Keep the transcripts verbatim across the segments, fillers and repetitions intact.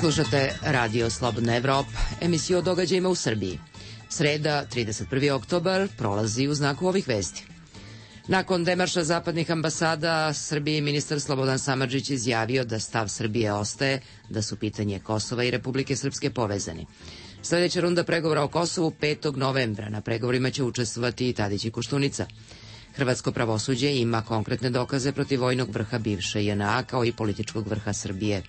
Slušate Radio Slobodna Evropa, emisiju o događajima u Srbiji. Sreda, trideset prvi oktobar, prolazi u znaku ovih vesti. Nakon demarša zapadnih ambasada Srbiji, ministar Slobodan Samardžić izjavio da stav Srbije ostaje, da su pitanje Kosova i Republike Srpske povezani. Sljedeća runda pregovora o Kosovu petog novembra. Na pregovorima će učestvovati i Tadić i Koštunica. Hrvatsko pravosuđe ima konkretne dokaze protiv vojnog vrha bivše J N A kao i političkog vrha Srbije.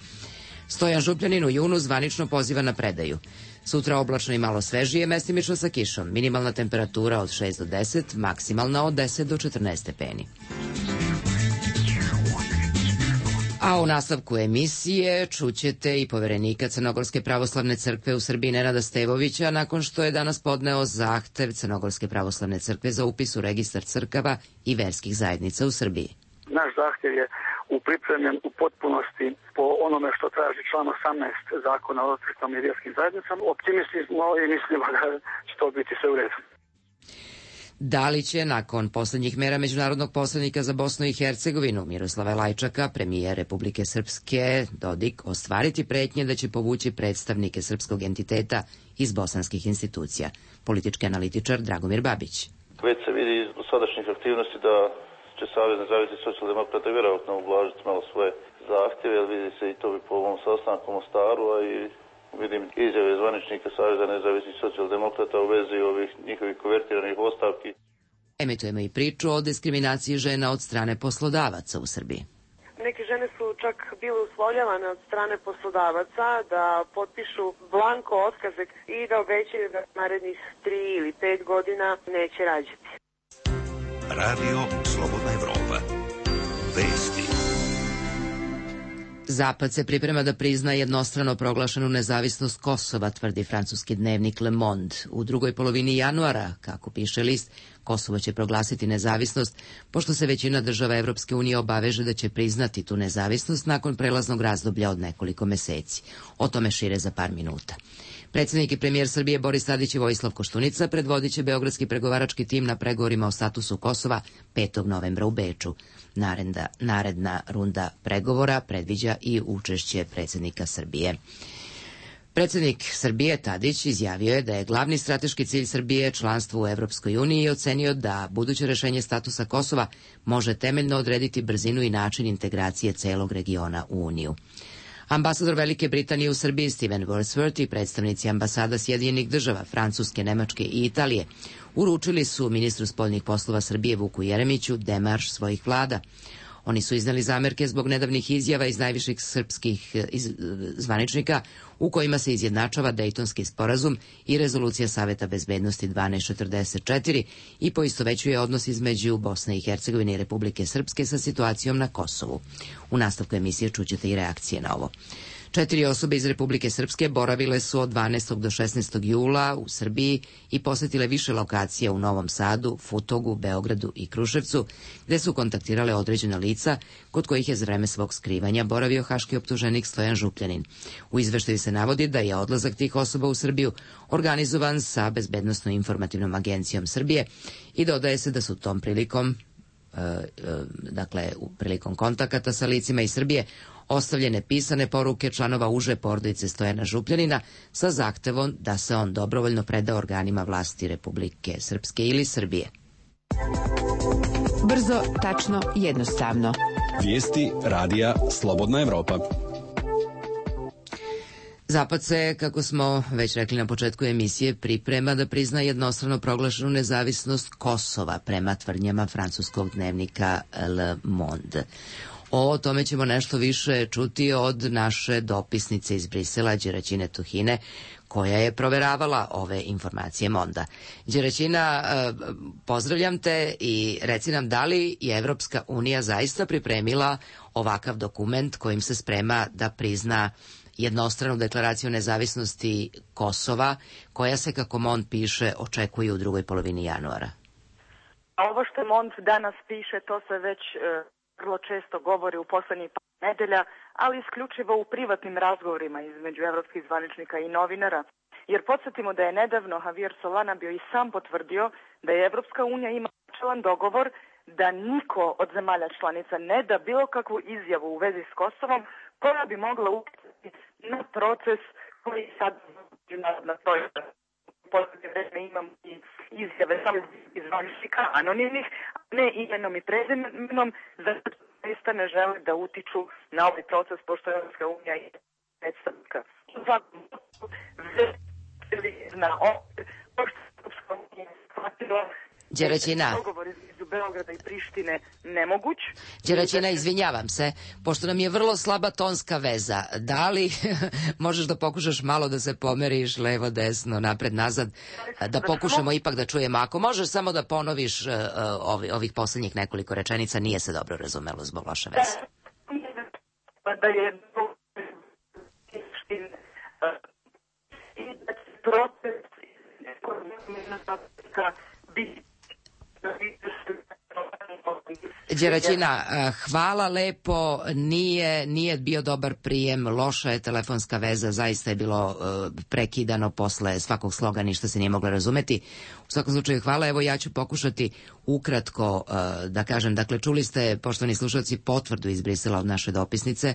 Stojan Župljanin u junu zvanično poziva na predaju. Sutra oblačno i malo svežije, mestimično sa kišom. Minimalna temperatura od šest do deset, maksimalna od deset do četrnaest stepeni. A u nastavku emisije čućete i poverenika Crnogorske pravoslavne crkve u Srbiji Nenada Stevovića nakon što je danas podneo zahtev Crnogorske pravoslavne crkve za upis u registar crkava i verskih zajednica u Srbiji. Naš zahtev je upripremljen u potpunosti po onome što traži član osamnaest zakona o crkvama i vjerskim zajednicama. Optimisti smo i mislimo da će to biti sve u redu. Da li će nakon poslednjih mera međunarodnog posrednika za Bosnu i Hercegovinu Miroslava Lajčaka, premijer Republike Srpske Dodik, ostvariti pretnje da će povući predstavnike srpskog entiteta iz bosanskih institucija? Politički analitičar Dragomir Babić. Već se vidi iz dosadašnjih aktivnosti da će Savez nezavisnih socijaldemokrata vjerovatno ublažiti malo svoje zahtjeve, jer vidi se i to bi po ovom sastanku u Mostaru, a i vidim izjave zvaničnika Saveza nezavisnih socijaldemokrata u vezi ovih njihovih konvertiranih ostavki. Emitujemo i priču o diskriminaciji žena od strane poslodavaca u Srbiji. Neke žene su čak bile uslovljavane od strane poslodavaca da potpišu blanko otkaze i da obećaju da narednih tri ili pet godina neće rađati. Radio Slobodna Evropa. Vesti. Zapad se priprema da prizna jednostrano proglašenu nezavisnost Kosova, tvrdi francuski dnevnik Le Monde. U drugoj polovini januara, kako piše list, Kosovo će proglasiti nezavisnost, pošto se većina država Evropske unije obaveže da će priznati tu nezavisnost nakon prelaznog razdoblja od nekoliko meseci. O tome šire za par minuta. Predsjednik i premijer Srbije Boris Tadić i Vojislav Koštunica predvodit će beogradski pregovarački tim na pregovorima o statusu Kosova petog novembra u Beču. Naredna, naredna runda pregovora predviđa i učešće predsjednika Srbije. Predsjednik Srbije Tadić izjavio je da je glavni strateški cilj Srbije članstvo u Evropskoj uniji i ocenio da buduće rešenje statusa Kosova može temeljno odrediti brzinu i način integracije celog regiona u Uniju. Ambasador Velike Britanije u Srbiji Steven Wordsworth i predstavnici ambasada Sjedinjenih država, Francuske, Nemačke i Italije uručili su ministru spoljnih poslova Srbije Vuku Jeremiću demarš svojih vlada. Oni su iznali zamerke zbog nedavnih izjava iz najviših srpskih iz, zvaničnika u kojima se izjednačava Dejtonski sporazum i rezolucija Saveta bezbednosti dvanaest četrdeset četiri i poistovećuje odnos između Bosne i Hercegovine i Republike Srpske sa situacijom na Kosovu. U nastavku emisije čućete i reakcije na ovo. Četiri osobe iz Republike Srpske boravile su od dvanaestog do šesnaestog jula u Srbiji i posetile više lokacija u Novom Sadu, Futogu, Beogradu i Kruševcu, gde su kontaktirale određena lica kod kojih je za vreme svog skrivanja boravio haški optuženik Stojan Župljanin. U izveštaju se navodi da je odlazak tih osoba u Srbiju organizovan sa Bezbednosno-informativnom agencijom Srbije i dodaje se da su tom prilikom, e, e, dakle, prilikom kontakata sa licima iz Srbije ostavljene pisane poruke članova uže porodice Stojana Župljanina sa zahtevom da se on dobrovoljno preda organima vlasti Republike Srpske ili Srbije. Brzo, tačno, jednostavno. Vijesti radija Slobodna Evropa. Zapad se, kako smo već rekli na početku emisije, priprema da prizna jednostrano proglašenu nezavisnost Kosova prema tvrdnjama francuskog dnevnika Le Monde. O tome ćemo nešto više čuti od naše dopisnice iz Brisela, Đeraćine Tuhine, koja je proveravala ove informacije Monda. Đeraćina, pozdravljam te i reci nam da li je Evropska unija zaista pripremila ovakav dokument kojim se sprema da prizna jednostranu deklaraciju nezavisnosti Kosova, koja se, kako Mond piše, očekuje u drugoj polovini januara. Ovo što Mond danas piše, to se već e, vrlo često govori u poslednjih par nedelja, ali isključivo u privatnim razgovorima između evropskih zvaničnika i novinara. Jer podsjetimo da je nedavno Javier Solana bio i sam potvrdio da je Evropska unija ima načelan dogovor da niko od zemalja članica ne da bilo kakvu izjavu u vezi s Kosovom koja bi mogla utjecati na proces koji sad međunarodna projekta. U posljednje vreme imam i izjave samo iz zvaničnika, anonimnih, ne imenom i prezimenom, zato zaista ne žele da utiču na ovaj proces, pošto je Evropska unija i predstavnika. U svakom na ovdje, pošto je Evropska unija shvatila Đeraćina. Dogovor između Beograda i Prištine nemoguć. Đeraćina, izvinjavam se, pošto nam je vrlo slaba tonska veza, da li možeš da pokušaš malo da se pomeriš levo, desno, napred, nazad, da pokušamo ipak da čujemo. Ako možeš samo da ponoviš uh, ovi, ovih poslednjih nekoliko rečenica, nije se dobro razumelo zbog loše veze. Da je i da će proces biti Đeraćina, hvala lepo, nije, nije bio dobar prijem, loša je telefonska veza, zaista je bilo uh, prekidano posle svakog sloga, ništa se nije moglo razumeti. U svakom slučaju hvala, evo ja ću pokušati ukratko uh, da kažem, dakle čuli ste, poštovani slušalci, potvrdu iz Brisela od naše dopisnice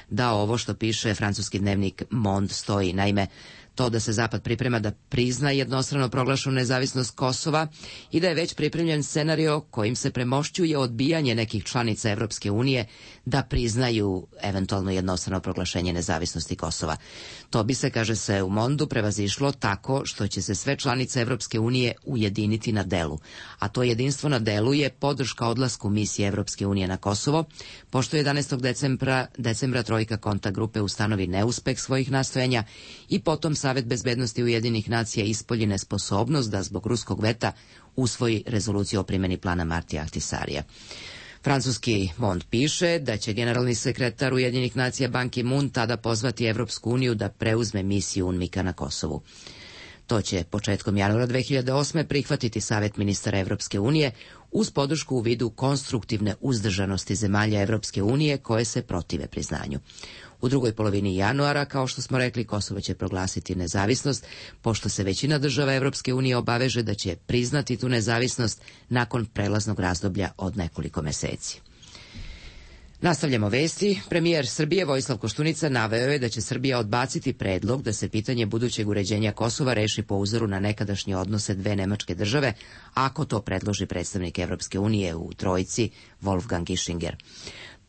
da ovo što piše francuski dnevnik Mond stoji. Naime, to da se Zapad priprema da prizna jednostrano proglašenu nezavisnost Kosova i da je već pripremljen scenario kojim se premošćuje odbijanje nekih članica Evropske unije da priznaju eventualno jednostrano proglašenje nezavisnosti Kosova. To bi se, kaže se u Mondu, prevazišlo tako što će se sve članice Evropske unije ujediniti na delu. A to jedinstvo na delu je podrška odlasku misije Evropske unije na Kosovo, pošto jedanaestog decembra, decembra trojka kontakt grupe ustanovi neuspeh svojih nastojanja i potom Savet bezbednosti Ujedinjenih nacija ispolji nesposobnost da zbog ruskog veta usvoji rezoluciju o primjeni plana Martija Ahtisarija. Francuski Mond piše da će generalni sekretar Ujedinjenih nacija Ban Ki-moon tada pozvati Evropsku uniju da preuzme misiju UNMIK-a na Kosovu. To će početkom januara dve hiljade osme prihvatiti Savet ministara Evropske unije uz podršku u vidu konstruktivne uzdržanosti zemalja Evropske unije koje se protive priznanju. U drugoj polovini januara, kao što smo rekli, Kosovo će proglasiti nezavisnost, pošto se većina država Evropske unije obaveže da će priznati tu nezavisnost nakon prelaznog razdoblja od nekoliko meseci. Nastavljamo vesti. Premijer Srbije Vojislav Koštunica naveo je da će Srbija odbaciti predlog da se pitanje budućeg uređenja Kosova reši po uzoru na nekadašnje odnose dve nemačke države, ako to predloži predstavnik Evropske unije u Trojici Wolfgang Ischinger.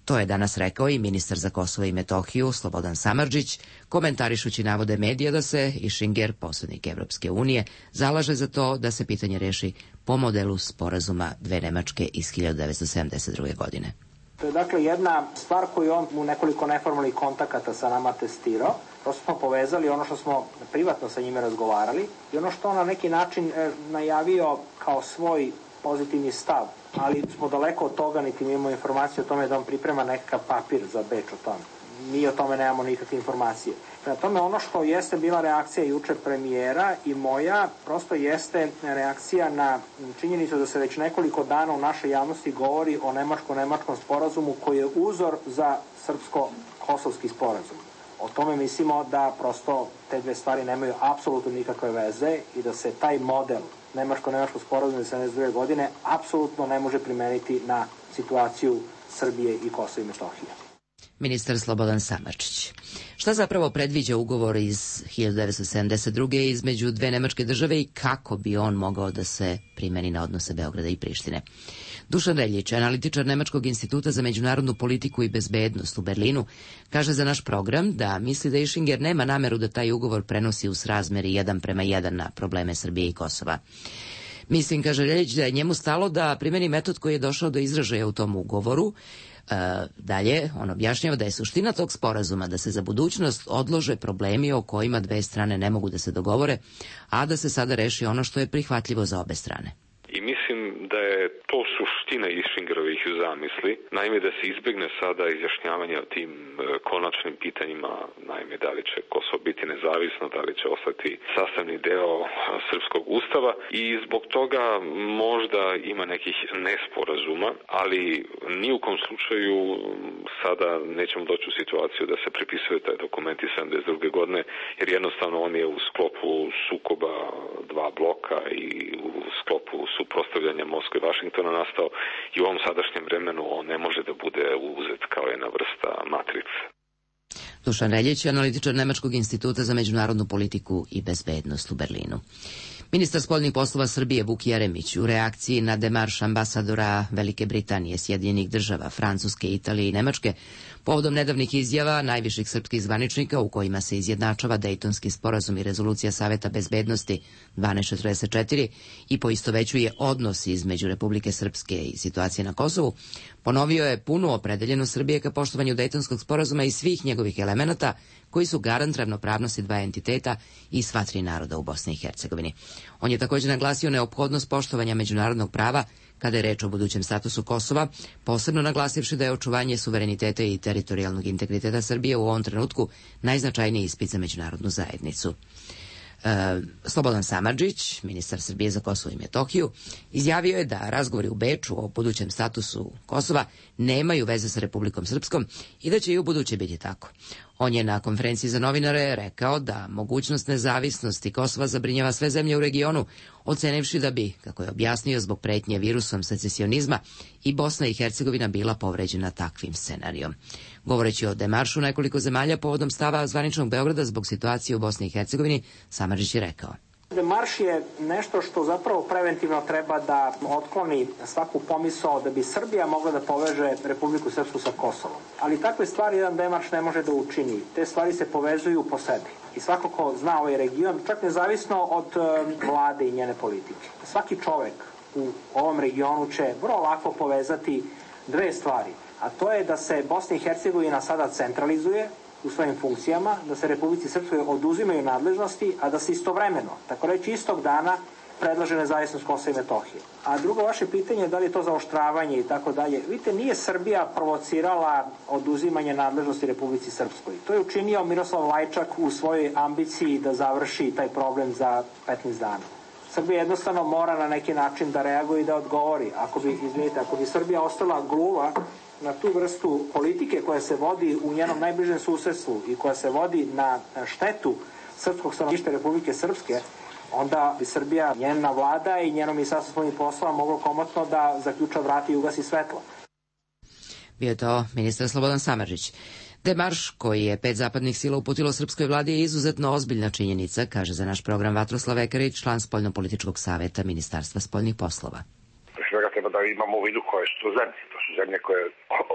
To je danas rekao i ministar za Kosovo i Metohiju Slobodan Samardžić, komentarišući navode medija da se Ischinger, posrednik Evropske unije, zalaže za to da se pitanje reši po modelu sporazuma dve Nemačke iz hiljadu devetsto sedamdeset druge. godine. To je dakle jedna stvar koju on u nekoliko neformalnih kontakata sa nama testirao. Prosto smo povezali ono što smo privatno sa njime razgovarali i ono što on na neki način e, najavio kao svoj pozitivni stav, ali smo daleko od toga, niti mi imamo informaciju o tome da on priprema nekakav papir za Beč o tome. Mi o tome nemamo nikakve informacije. Prema tome, ono što jeste bila reakcija juče premijera i moja, prosto jeste reakcija na činjenicu da se već nekoliko dana u našoj javnosti govori o nemačko-nemačkom sporazumu koji je uzor za srpsko-kosovski sporazum. O tome mislimo da prosto te dve stvari nemaju apsolutno nikakve veze i da se taj model nemačko-nemačkog sporazuma iz sedamdeset druge. godine apsolutno ne može primeniti na situaciju Srbije i Kosova i Metohije. Ministar Slobodan Samardžić. Šta zapravo predviđa ugovor iz hiljadu devetsto sedamdeset druge. između dve nemačke države i kako bi on mogao da se primeni na odnose Beograda i Prištine? Dušan Reljić, analitičar Nemačkog instituta za međunarodnu politiku i bezbednost u Berlinu, kaže za naš program da misli da Ischinger nema nameru da taj ugovor prenosi u srazmeri jedan prema jedan na probleme Srbije i Kosova. Mislim, kaže Reljić, da je njemu stalo da primeni metod koji je došao do izražaja u tom ugovoru. E, dalje, on objašnjava da je suština tog sporazuma da se za budućnost odlože problemi o kojima dve strane ne mogu da se dogovore, a da se sada reši ono što je prihvatljivo za obe strane. I mislim da je to suština Isfingerovih zamisli. Naime, da se izbegne sada izjašnjavanje o tim konačnim pitanjima, naime, da li će Kosovo biti nezavisno, da li će ostati sastavni deo srpskog ustava i zbog toga možda ima nekih nesporazuma, ali ni u kom slučaju sada nećemo doći u situaciju da se prepisuje taj dokument iz sedamdeset druge godine, jer jednostavno on je u sklopu sukoba dva bloka i u sklopu suprotstavljanja Moskve i Vašingtona nastao i u ovom sadašnjem vremenu on ne može da bude uzet kao jedna vrsta matrice. Dušan Reljić, analitičar Nemačkog instituta za međunarodnu politiku i bezbednost u Berlinu. Ministar spoljnih poslova Srbije Vuk Jeremić u reakciji na demarš ambasadora Velike Britanije, Sjedinjenih država, Francuske, Italije i Nemačke povodom nedavnih izjava najviših srpskih zvaničnika u kojima se izjednačava Dejtonski sporazum i rezolucija Saveta bezbednosti dvanaest četrdeset četiri i poistovećuje odnos između Republike Srpske i situacije na Kosovu, ponovio je punu opredeljenost Srbije ka poštovanju Dejtonskog sporazuma i svih njegovih elemenata koji su garant ravnopravnosti dva entiteta i sva tri naroda u Bosni i Hercegovini. On je također naglasio neophodnost poštovanja međunarodnog prava kada je reč o budućem statusu Kosova, posebno naglasivši da je očuvanje suvereniteta i teritorijalnog integriteta Srbije u ovom trenutku najznačajniji ispit za međunarodnu zajednicu. E, Slobodan Samardžić, ministar Srbije za Kosovo i Metohiju, izjavio je da razgovori u Beču o budućem statusu Kosova nemaju veze sa Republikom Srpskom i da će i u buduće biti tako. On je na konferenciji za novinare rekao da mogućnost nezavisnosti Kosova zabrinjava sve zemlje u regionu, ocenivši da bi, kako je objasnio, zbog pretnje virusom secesionizma i Bosna i Hercegovina bila povređena takvim scenarijom. Govoreći o demaršu nekoliko zemalja povodom stava zvaničnog Beograda zbog situacije u Bosni i Hercegovini, Samardžić je rekao: Demarš je nešto što zapravo preventivno treba da otkloni svaku pomisao da bi Srbija mogla da poveže Republiku Srpsku sa Kosovom. Ali takve stvari jedan demarš ne može da učini. Te stvari se povezuju po sebi. I svako ko zna ovaj region, čak nezavisno od vlade i njene politike. Svaki čovek u ovom regionu će vrlo lako povezati dve stvari. A to je da se Bosna i Hercegovina sada centralizuje u svojim funkcijama, da se Republici Srpskoj oduzimaju nadležnosti, a da se istovremeno, tako reći istog dana, predlaže nezavisnost Kosova i Metohije. A drugo vaše pitanje je da li je to zaoštravanje i tako dalje. Vidite, nije Srbija provocirala oduzimanje nadležnosti Republici Srpskoj. To je učinio Miroslav Lajčak u svojoj ambiciji da završi taj problem za petnaest dana. Srbija jednostavno mora na neki način da reaguje i da odgovori. Ako bi, izvinite, ako bi Srbija ostala gluva na tu vrstu politike koja se vodi u njenom najbližem susedstvu i koja se vodi na štetu srpskog stanovništva Republike Srpske, onda bi Srbija, njena vlada i njeno ministarstvo spoljnih poslova moglo komotno da zaključa vrata i ugasi svetlo. Bio je to ministar Slobodan Samardžić. Demarš koji je pet zapadnih sila uputilo srpskoj vladi je izuzetno ozbiljna činjenica, kaže za naš program Vatroslav Ekarić, član Spoljnopolitičkog saveta Ministarstva spoljnih poslova. Svega treba da imamo u vidu koje su to zemlje. To su zemlje koje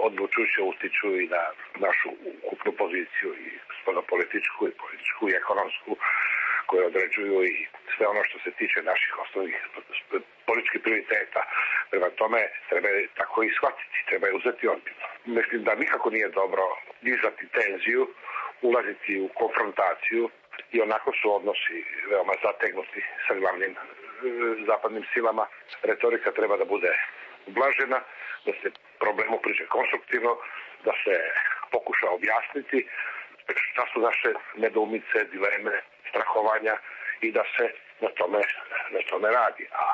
odlučujuće utiču i na našu ukupnu poziciju i spoljnopolitičku i političku i ekonomsku, koje određuju i sve ono što se tiče naših osnovnih političkih prioriteta. Prema tome treba tako i shvatiti, treba je uzeti ozbiljno. Mislim da nikako nije dobro dizati tenziju, ulaziti u konfrontaciju i onako su odnosi veoma zategnuti sa glavnim zapadnim silama. Retorika treba da bude ublažena, da se problemu priđe konstruktivno, da se pokuša objasniti šta su naše nedoumice, dileme, strahovanja i da se na tome, na tome radi. A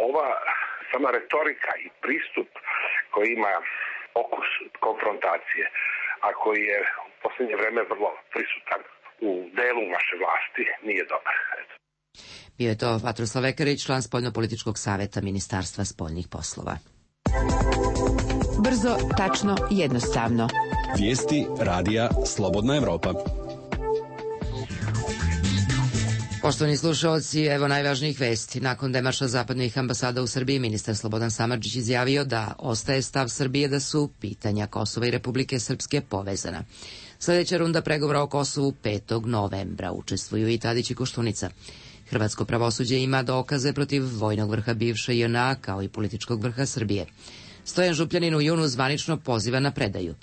ova sama retorika i pristup koji ima okus konfrontacije, a koji je u posljednje vreme vrlo prisutan u delu naše vlasti, nije dobar. Bio je to Vatroslav Ekarić, član Spoljnopolitičkog saveta Ministarstva spoljnih poslova. Brzo, tačno, jednostavno. Vijesti radija Slobodna Evropa. Poštovani slušalci, evo najvažnijih vesti. Nakon demarša zapadnih ambasada u Srbiji, ministar Slobodan Samardžić izjavio da ostaje stav Srbije da su pitanja Kosova i Republike Srpske povezana. Sljedeća runda pregovora o Kosovu petog novembra. Učestvuju i Tadić i Koštunica. Hrvatsko pravosuđe ima dokaze protiv vojnog vrha bivše J N A kao i političkog vrha Srbije. Stojan Župljanin u junu zvanično poziva na predaju.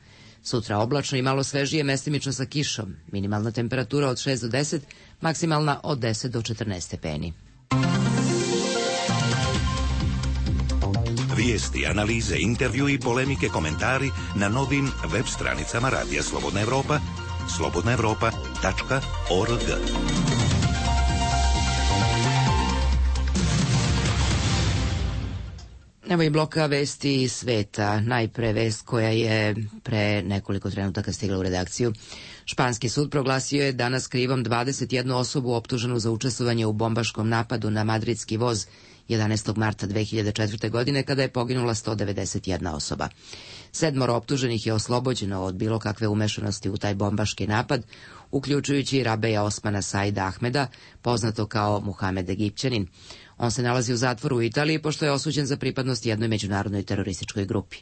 Sutra oblačno i malo svežije, mestimično sa kišom. Minimalna temperatura od šest do deset, maksimalna od deset do četrnaest stepeni. Vijesti, analize, intervju i polemike, komentari na novim web stranicama Radija Slobodna Evropa, slobodna evropa tačka org. Evo i bloka vesti iz sveta. Najpre vest koja je pre nekoliko trenutaka stigla u redakciju. Španski sud proglasio je danas krivom dvadeset jednu osobu optuženu za učestvovanje u bombaškom napadu na madridski voz jedanaestog marta dve hiljade četvrte. godine kada je poginula sto devedeset jedna osoba. Sedmoro optuženih je oslobođeno od bilo kakve umešanosti u taj bombaški napad, uključujući Rabeja Osmana Saida Ahmeda, poznato kao Muhamed Egipćanin. On se nalazi u zatvoru u Italiji pošto je osuđen za pripadnost jednoj međunarodnoj terorističkoj grupi.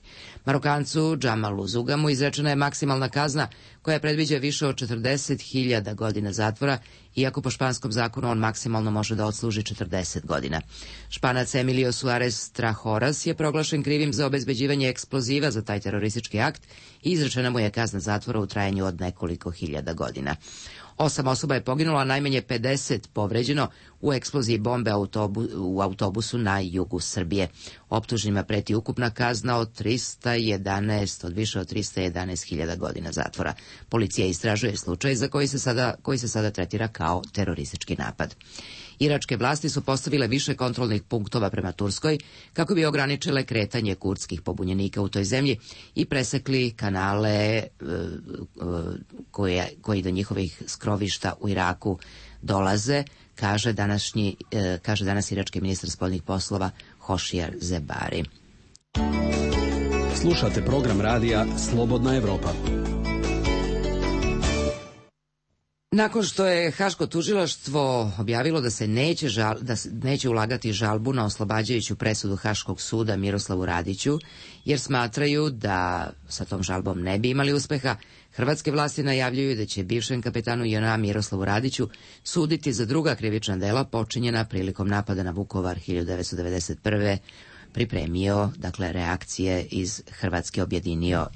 Marokancu Džamalu Zugamu izrečena je maksimalna kazna koja predviđa više od četrdeset hiljada godina zatvora, iako po španskom zakonu on maksimalno može da odsluži četrdeset godina. Španac Emilio Suarez Trahoras je proglašen krivim za obezbeđivanje eksploziva za taj teroristički akt i izrečena mu je kazna zatvora u trajanju od nekoliko hiljada godina. Osam osoba je poginulo, a najmanje pedeset povređeno u eksploziji bombe autobu, u autobusu na jugu Srbije. Optuženima preti ukupna kazna od trista jedanaest, od više od trista jedanaest hiljada godina zatvora. Policija istražuje slučaj za koji se sada, koji se sada tretira kao teroristički napad. Iračke vlasti su postavile više kontrolnih punktova prema Turskoj kako bi ograničile kretanje kurdskih pobunjenika u toj zemlji i presekli kanale e, e, koje, koji do njihovih skrovišta u Iraku dolaze, kaže, današnji, e, kaže danas irački ministar spoljnih poslova Hošijar Zebari. Slušate program radija Slobodna Evropa. Nakon što je Haško tužilaštvo objavilo da se neće, žal, da se neće ulagati žalbu na oslobađajuću presudu Haškog suda Miroslavu Radiću, jer smatraju da sa tom žalbom ne bi imali uspeha, hrvatske vlasti najavljuju da će bivšem kapetanu J N A Miroslavu Radiću suditi za druga krivična dela počinjena prilikom napada na Vukovar hiljadu devetsto devedeset prve. Pripremio, dakle, reakcije iz Hrvatske objedinio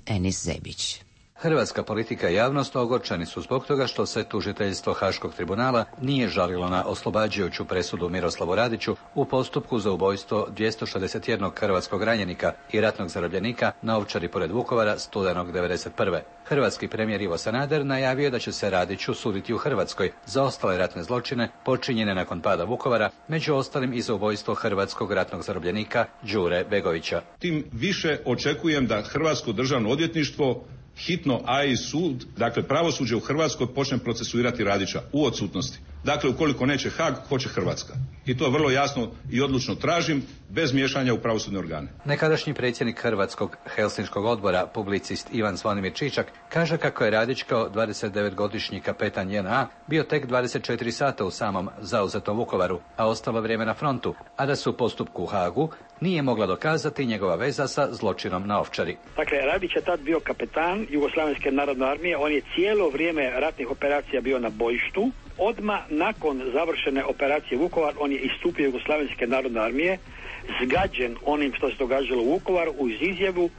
Enis Zebić. Hrvatska politika i javnost ogorčeni su zbog toga što se tužiteljstvo Haškog tribunala nije žalilo na oslobađajuću presudu Miroslavu Radiću u postupku za ubojstvo dvjesto šezdeset jednog hrvatskog ranjenika i ratnog zarobljenika na Ovčari pored Vukovara studenog devedeset prve. Hrvatski premijer Ivo Sanader najavio da će se Radiću suditi u Hrvatskoj za ostale ratne zločine počinjene nakon pada Vukovara, među ostalim i za ubojstvo hrvatskog ratnog zarobljenika Đure Begovića. Tim više očekujem da Hrvatsko državno odvjetništvo hitno, a i sud, dakle pravosuđe u Hrvatskoj počne procesuirati Radića u odsutnosti. Dakle, ukoliko neće Haag, hoće Hrvatska. I to vrlo jasno i odlučno tražim, bez miješanja u pravosudne organe. Nekadašnji predsjednik Hrvatskog Helsinškog odbora, publicist Ivan Zvonimir Čičak, kaže kako je Radić kao dvadesetdevetogodišnji kapetan J N A bio tek dvadeset četiri sata u samom zauzetom Vukovaru, a ostalo vrijeme na frontu, a da se u postupku u Haagu nije mogla dokazati njegova veza sa zločinom na Ovčari. Dakle, Radić je tad bio kapetan Jugoslavenske narodne armije, on je cijelo vrijeme ratnih operacija bio na bojištu. Odmah nakon završene operacije Vukovar, on je istupio Jugoslavenske narodne armije, zgađen onim što se događalo u Vukovaru, uz izjavu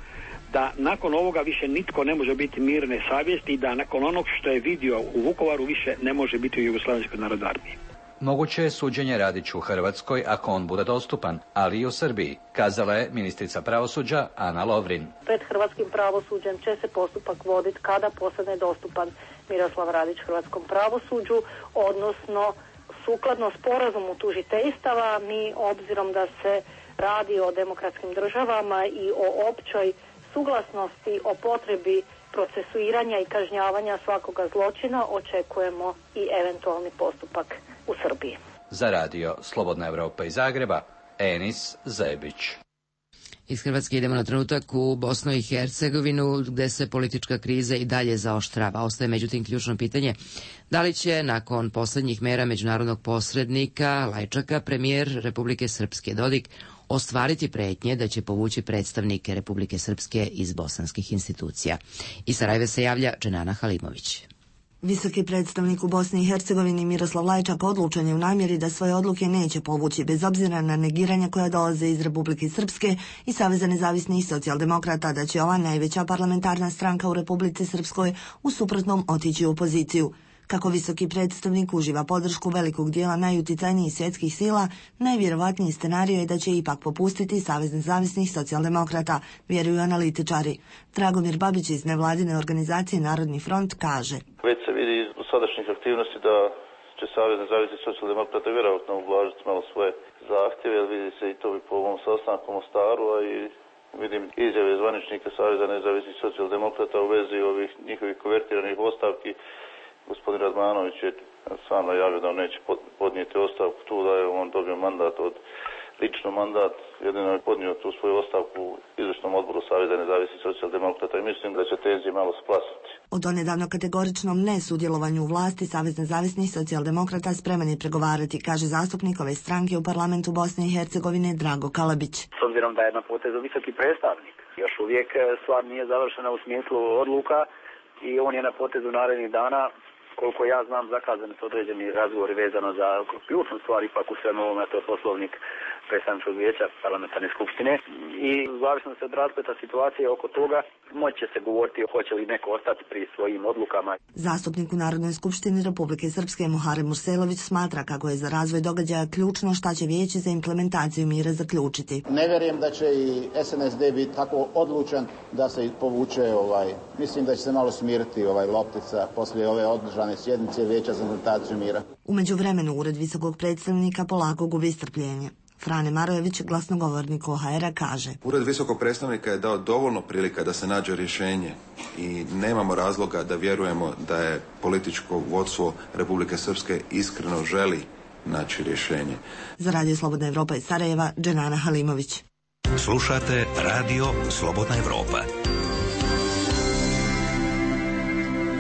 da nakon ovoga više nitko ne može biti mirne savjesti i da nakon onog što je vidio u Vukovaru više ne može biti u Jugoslavenskoj narodnoj armiji. Moguće je suđenje Radiću u Hrvatskoj ako on bude dostupan, ali i u Srbiji, kazala je ministrica pravosuđa Ana Lovrin. Pred hrvatskim pravosuđem će se postupak voditi kada postane dostupan Miroslav Radić hrvatskom pravosuđu, odnosno sukladno sporazumu tužiteljstava. Mi, obzirom da se radi o demokratskim državama i o općoj suglasnosti o potrebi procesuiranja i kažnjavanja svakoga zločina, očekujemo i eventualni postupak u Srbiji. Za radio Slobodna Evropa iz Zagreba, Enis Zebić. Iz Hrvatske idemo na trenutak u Bosnu i Hercegovinu, gde se politička kriza i dalje zaoštrava. Ostaje međutim ključno pitanje da li će nakon poslednjih mera međunarodnog posrednika Lajčaka premijer Republike Srpske Dodik ostvariti pretnje da će povući predstavnike Republike Srpske iz bosanskih institucija. Iz Sarajeva se javlja Dženana Halimović. Visoki predstavnik u Bosni i Hercegovini Miroslav Lajčak odlučen je u namjeri da svoje odluke neće povući bez obzira na negiranja koja dolaze iz Republike Srpske i Saveza nezavisnih socijaldemokrata da će ova najveća parlamentarna stranka u Republici Srpskoj u suprotnom otići u opoziciju. Kako visoki predstavnik uživa podršku velikog dijela najuticajnijih svjetskih sila, najvjerovatniji scenarij je da će ipak popustiti Savez nezavisnih socijaldemokrata, vjeruju analitičari. Dragomir Babić iz nevladine organizacije Narodni front kaže: Već se vidi iz dosadašnjih aktivnosti da će Savez nezavisnih socijaldemokrata vjerojatno ublažiti malo svoje zahtjeve, jer vidi se i to bi po ovom sastanku u Mostaru, a i vidim izjave zvaničnika Saveza nezavisnih socijaldemokrata u vezi ovih njihovih konvertiranih ostavki. Gospodin Radmanović je sam najavio da on neće podnijeti ostavku tu, da je on dobio mandat od lično mandat, jedino je podnio tu svoju ostavku u izvršnom odboru Saveza nezavisnih socijaldemokrata i mislim da će tenzije malo splasiti. O donedavno kategoričnom nesudjelovanju u vlasti Savez nezavisnih socijaldemokrata spreman je pregovarati, kaže zastupnik ove stranke u parlamentu Bosne i Hercegovine Drago Kalabić. S obzirom da je na potezu visoki predstavnik, još uvijek stvar nije završena u smislu odluka i on je na potezu narednih dana. Koliko ja znam, zakazani su određeni razgovori vezano za ključnu stvar, ipak u svemu ovome, to je poslovnik predstavničkog vijeća parlamentarne skupštine i u zavisnosti od raspleta situacije oko toga moći će se govoriti hoće li neko ostati pri svojim odlukama. Zastupnik u Narodnoj skupštini Republike Srpske Muharem Murselović smatra kako je za razvoj događaja ključno šta će vijeće za implementaciju mira zaključiti. Ne vjerujem da će i S N S D biti tako odlučan da se povuče, ovaj, mislim da će se malo smiriti ovaj loptica poslije ove održane sjednice vijeća za implementaciju mira. U međuvremenu ured visokog predstavnika polako gubi strpljenje. Frane Marojević, glasnogovornik O H R-a, kaže: Ured visokog predstavnika je dao dovoljno prilika da se nađe rješenje i nemamo razloga da vjerujemo da je političko vodstvo Republike Srpske iskreno želi naći rješenje. Za Radio Slobodna Evropa iz Sarajeva, Dženana Halimović. Slušate Radio Slobodna Evropa.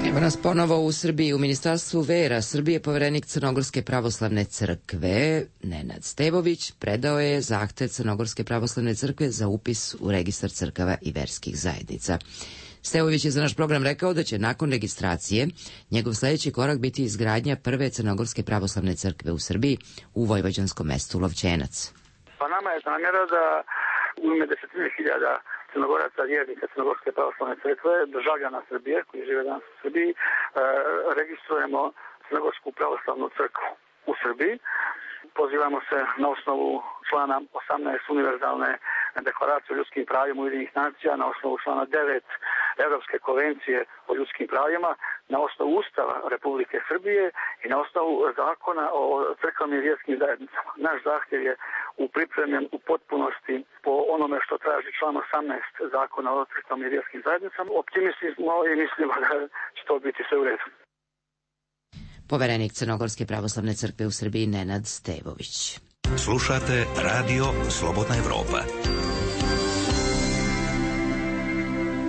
Evo nas ponovo u Srbiji. U Ministarstvu vera Srbije poverenik Crnogorske pravoslavne crkve Nenad Stevović predao je zahtev Crnogorske pravoslavne crkve za upis u registar crkava i verskih zajednica. Stevović je za naš program rekao da će nakon registracije njegov sljedeći korak biti izgradnja prve Crnogorske pravoslavne crkve u Srbiji u vojvođanskom mestu Lovćenac. Pa nama je namjera da u ime desetine hiljada Crnogoraca, vjernika Crnogorske pravoslavne crkve, državljana Srbije koji žive danas u Srbiji, e, registrujemo Crnogorsku pravoslavnu crkvu u Srbiji. Pozivamo se na osnovu člana osamnaest univerzalne deklaracije o ljudskim pravima Ujedinjenih nacija, na osnovu člana devet Evropske konvencije o ljudskim pravima, na osnovu Ustava Republike Srbije i na osnovu zakona o crkvenim i vjerskim zajednicama. Naš zahtjev je upripremljen u potpunosti po onome što traži član osamnaest zakona o crkvenim i vjerskim zajednicama. Optimisti smo i mislimo da će to biti sve u redu. Poverenik Crnogorske pravoslavne crkve u Srbiji Nenad Stevović. Slušate Radio Slobodna Evropa.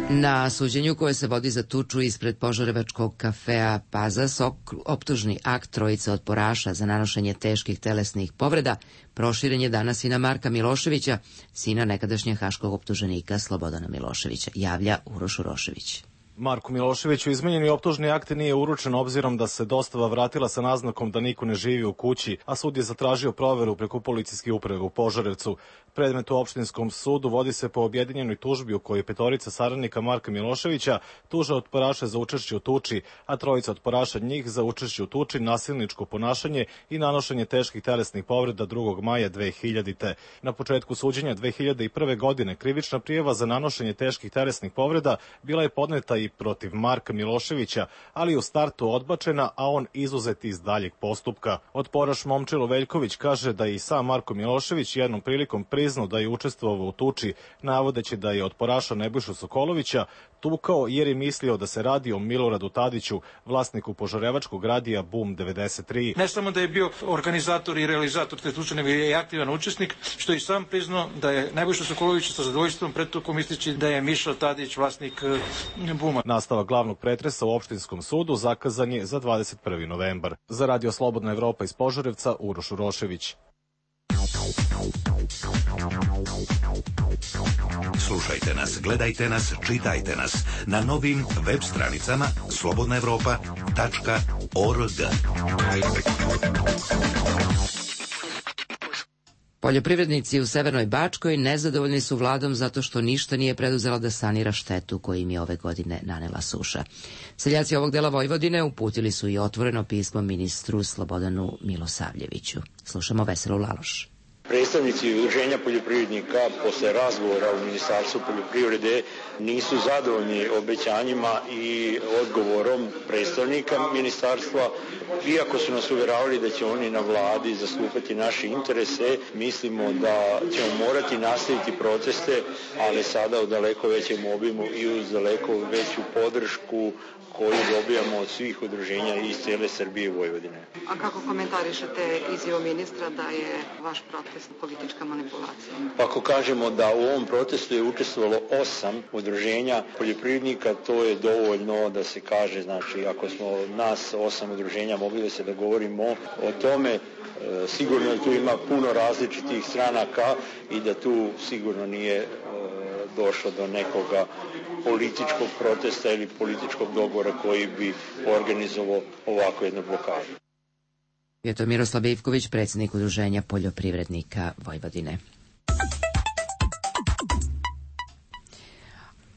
Na suđenju koje se vodi za tuču ispred požarevačkog kafea Pazas, optužni akt trojice otporaša za nanošenje teških telesnih povreda proširen je danas i na Marka Miloševića, sina nekadašnjeg haškog optuženika Slobodana Miloševića, javlja Uroš Urošević. Marku Miloševiću izmenjeni optužni akt nije uručen obzirom da se dostava vratila sa naznakom da niko ne živi u kući, a sud je zatražio proveru preko policijske uprave u Požarevcu. Predmet u opštinskom sudu vodi se po objedinjenoj tužbi u kojoj petorica saradnika Marka Miloševića tuže otporaše za učešće u tuči, a trojica otporaša njih za učešće u tuči, nasilničko ponašanje i nanošenje teških telesnih povreda drugog maja dve hiljadite. Na početku suđenja dve hiljade prve. godine krivična prijava za nanošenje teških telesnih povreda bila je podneta i protiv Marka Miloševića, ali u startu odbačena, a on izuzet iz daljeg postupka. Otporaš Momčilo Veljković kaže da je i sam Marko Milošević jednom prilikom priznao da je učestvovao u tuči, navodeći da je otporaša Nebojšu Sokolovića tukao jer je mislio da se radi o Miloradu Tadiću, vlasniku požarevačkog radija Boom devedeset tri. Ne samo da je bio organizator i realizator te tuče, nego je i aktivan učesnik, što je i sam priznao da je Nebojša Sokolović sa zadovoljstvom pretukom ističi da je Mišo Tadić vlasnik Booma. Nastavak glavnog pretresa u opštinskom sudu zakazan je za dvadeset prvi novembar. Za Radio Slobodna Evropa iz Požarevca, Uroš Urošević. Slušajte nas, gledajte nas, čitajte nas na novim web stranicama slobodna evropa tačka org. Poljoprivrednici u Severnoj Bačkoj nezadovoljni su vladom zato što ništa nije preduzela da sanira štetu koju im je ove godine nanela suša. Seljaci ovog dela Vojvodine uputili su i otvoreno pismo ministru Slobodanu Milosavljeviću. Slušamo Veselu Laloš. Predstavnici udruženja poljoprivrednika posle razgovora u Ministarstvu poljoprivrede nisu zadovoljni obećanjima i odgovorom predstavnika ministarstva. Iako su nas uvjeravali da će oni na vladi zastupati naše interese, mislimo da ćemo morati nastaviti proteste, ali sada u daleko većem obimu i uz daleko veću podršku koju dobijamo od svih udruženja iz cijele Srbije i Vojvodine. A kako komentarišete izjavu ministra da je vaš protest politička manipulacija? Ako kažemo da u ovom protestu je učestvovalo osam udruženja poljoprivrednika, to je dovoljno da se kaže, znači ako smo nas osam udruženja mogli da se dogovorimo o tome, sigurno da tu ima puno različitih stranaka i da tu sigurno nije došlo do nekoga političkog protesta ili političkog dogovora koji bi organizovao ovako jednu blokadu. Je to Miroslav Ivković, predsjednik Udruženja poljoprivrednika Vojvodine.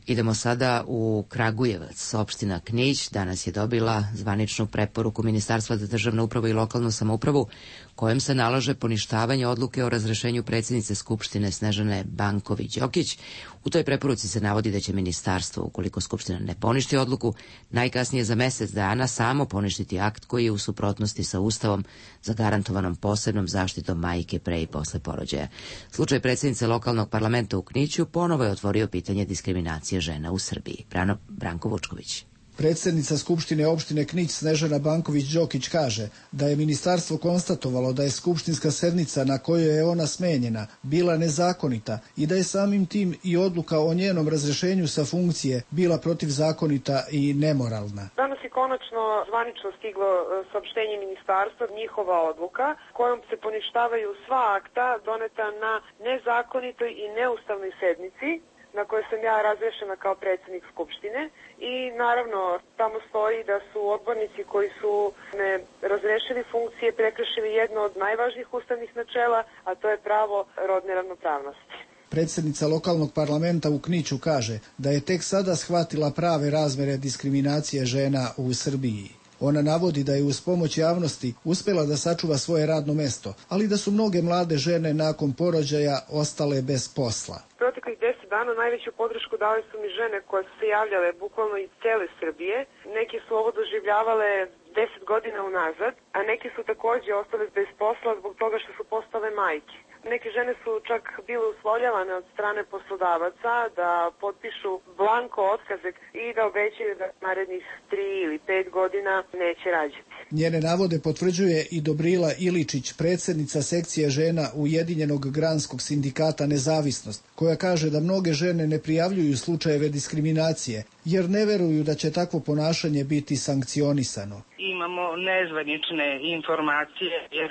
Idemo sada u Kragujevac. Opština Knić danas je dobila zvaničnu preporuku Ministarstva za državnu upravu i lokalnu samoupravu kojom se nalaže poništavanje odluke o razrešenju predsjednice Skupštine Snežane Banković-Đokić. U toj preporuci se navodi da će ministarstvo, ukoliko Skupština ne poništi odluku, najkasnije za mesec dana samo poništiti akt koji je u suprotnosti sa Ustavom zagarantovanom posebnom zaštitom majke pre i posle porođaja. Slučaj predsjednice lokalnog parlamenta u Kniću ponovo je otvorio pitanje diskriminacije žena u Srbiji. Brano, Branko Vučković. Predsjednica Skupštine opštine Knić Snežana Banković-Đokić kaže da je ministarstvo konstatovalo da je skupštinska sednica na kojoj je ona smenjena bila nezakonita i da je samim tim i odluka o njenom razrešenju sa funkcije bila protivzakonita i nemoralna. Danas je konačno zvanično stiglo saopštenje ministarstva, njihova odluka kojom se poništavaju sva akta doneta na nezakonitoj i neustavnoj sednici na kojoj sam ja razrešena kao predsjednik Skupštine i naravno tamo stoji da su odbornici koji su me razrešili funkcije prekršili jedno od najvažnijih ustavnih načela, a to je pravo rodne ravnopravnosti. Predsjednica lokalnog parlamenta u Kniću kaže da je tek sada shvatila prave razmere diskriminacije žena u Srbiji. Ona navodi da je uz pomoć javnosti uspjela da sačuva svoje radno mesto, ali da su mnoge mlade žene nakon porođaja ostale bez posla. Proteklih deset dana najveću podršku dali su mi žene koje su se javljale bukvalno iz cele Srbije. Neki su ovo doživljavale deset godina unazad, a neki su također ostale bez posla zbog toga što su postale majke. Neke žene su čak bile uslovljavane od strane poslodavaca da potpišu blanko otkazek i da obećaju da narednih tri ili pet godina neće rađati. Njene navode potvrđuje i Dobrila Iličić, predsjednica sekcije žena Ujedinjenog granskog sindikata Nezavisnost, koja kaže da mnoge žene ne prijavljuju slučajeve diskriminacije, jer ne veruju da će takvo ponašanje biti sankcionisano. Imamo nezvanične informacije jer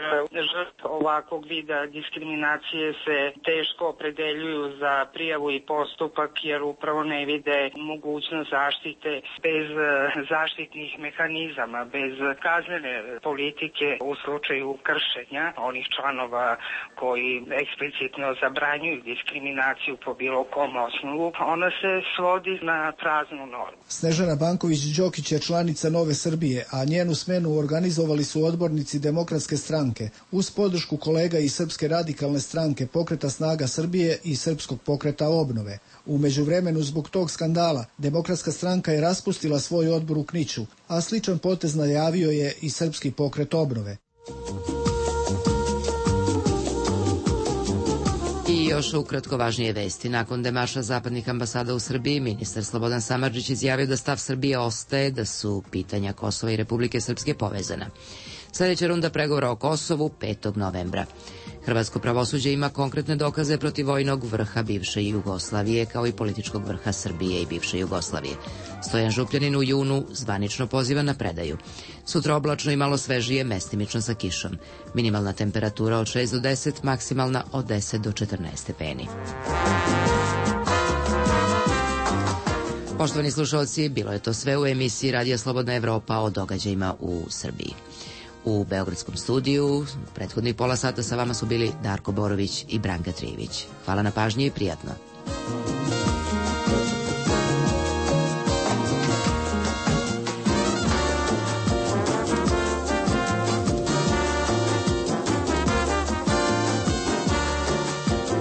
žrtve ovakvog vida diskriminacije se teško opredeljuju za prijavu i postupak jer upravo ne vide mogućnost zaštite bez zaštitnih mehanizama, bez kaznene politike u slučaju kršenja onih članova koji eksplicitno zabranjuju diskriminaciju po bilo kom osnovu. Ona se svodi na praznu normu. Snežana Banković-Đokić je članica Nove Srbije, a njenu smenu organizovali su odbornici Demokratske stranke uz podršku kolega iz Srpske radikalne stranke, Pokreta snaga Srbije i Srpskog pokreta obnove. U međuvremenu zbog tog skandala Demokratska stranka je raspustila svoj odbor u Kniću, a sličan potez najavio je i Srpski pokret obnove. I još ukratko važnije vesti. Nakon demaša zapadnih ambasada u Srbiji, ministar Slobodan Samardžić izjavio da stav Srbije ostaje da su pitanja Kosova i Republike Srpske povezana. Sljedeća runda pregovora o Kosovu petog novembra. Hrvatsko pravosuđe ima konkretne dokaze protiv vojnog vrha bivše Jugoslavije kao i političkog vrha Srbije i bivše Jugoslavije. Stojan Župljanin u junu zvanično poziva na predaju. Sutra oblačno i malo svežije, mestimično sa kišom. Minimalna temperatura od šest do deset, maksimalna od deset do četrnaest stepeni. Poštovani slušalci, bilo je to sve u emisiji Radija Slobodna Evropa o događajima u Srbiji. U Beogradskom studiju prethodnih pola sata sa vama su bili Darko Borović i Branka Trijević. Hvala na pažnji i prijatno.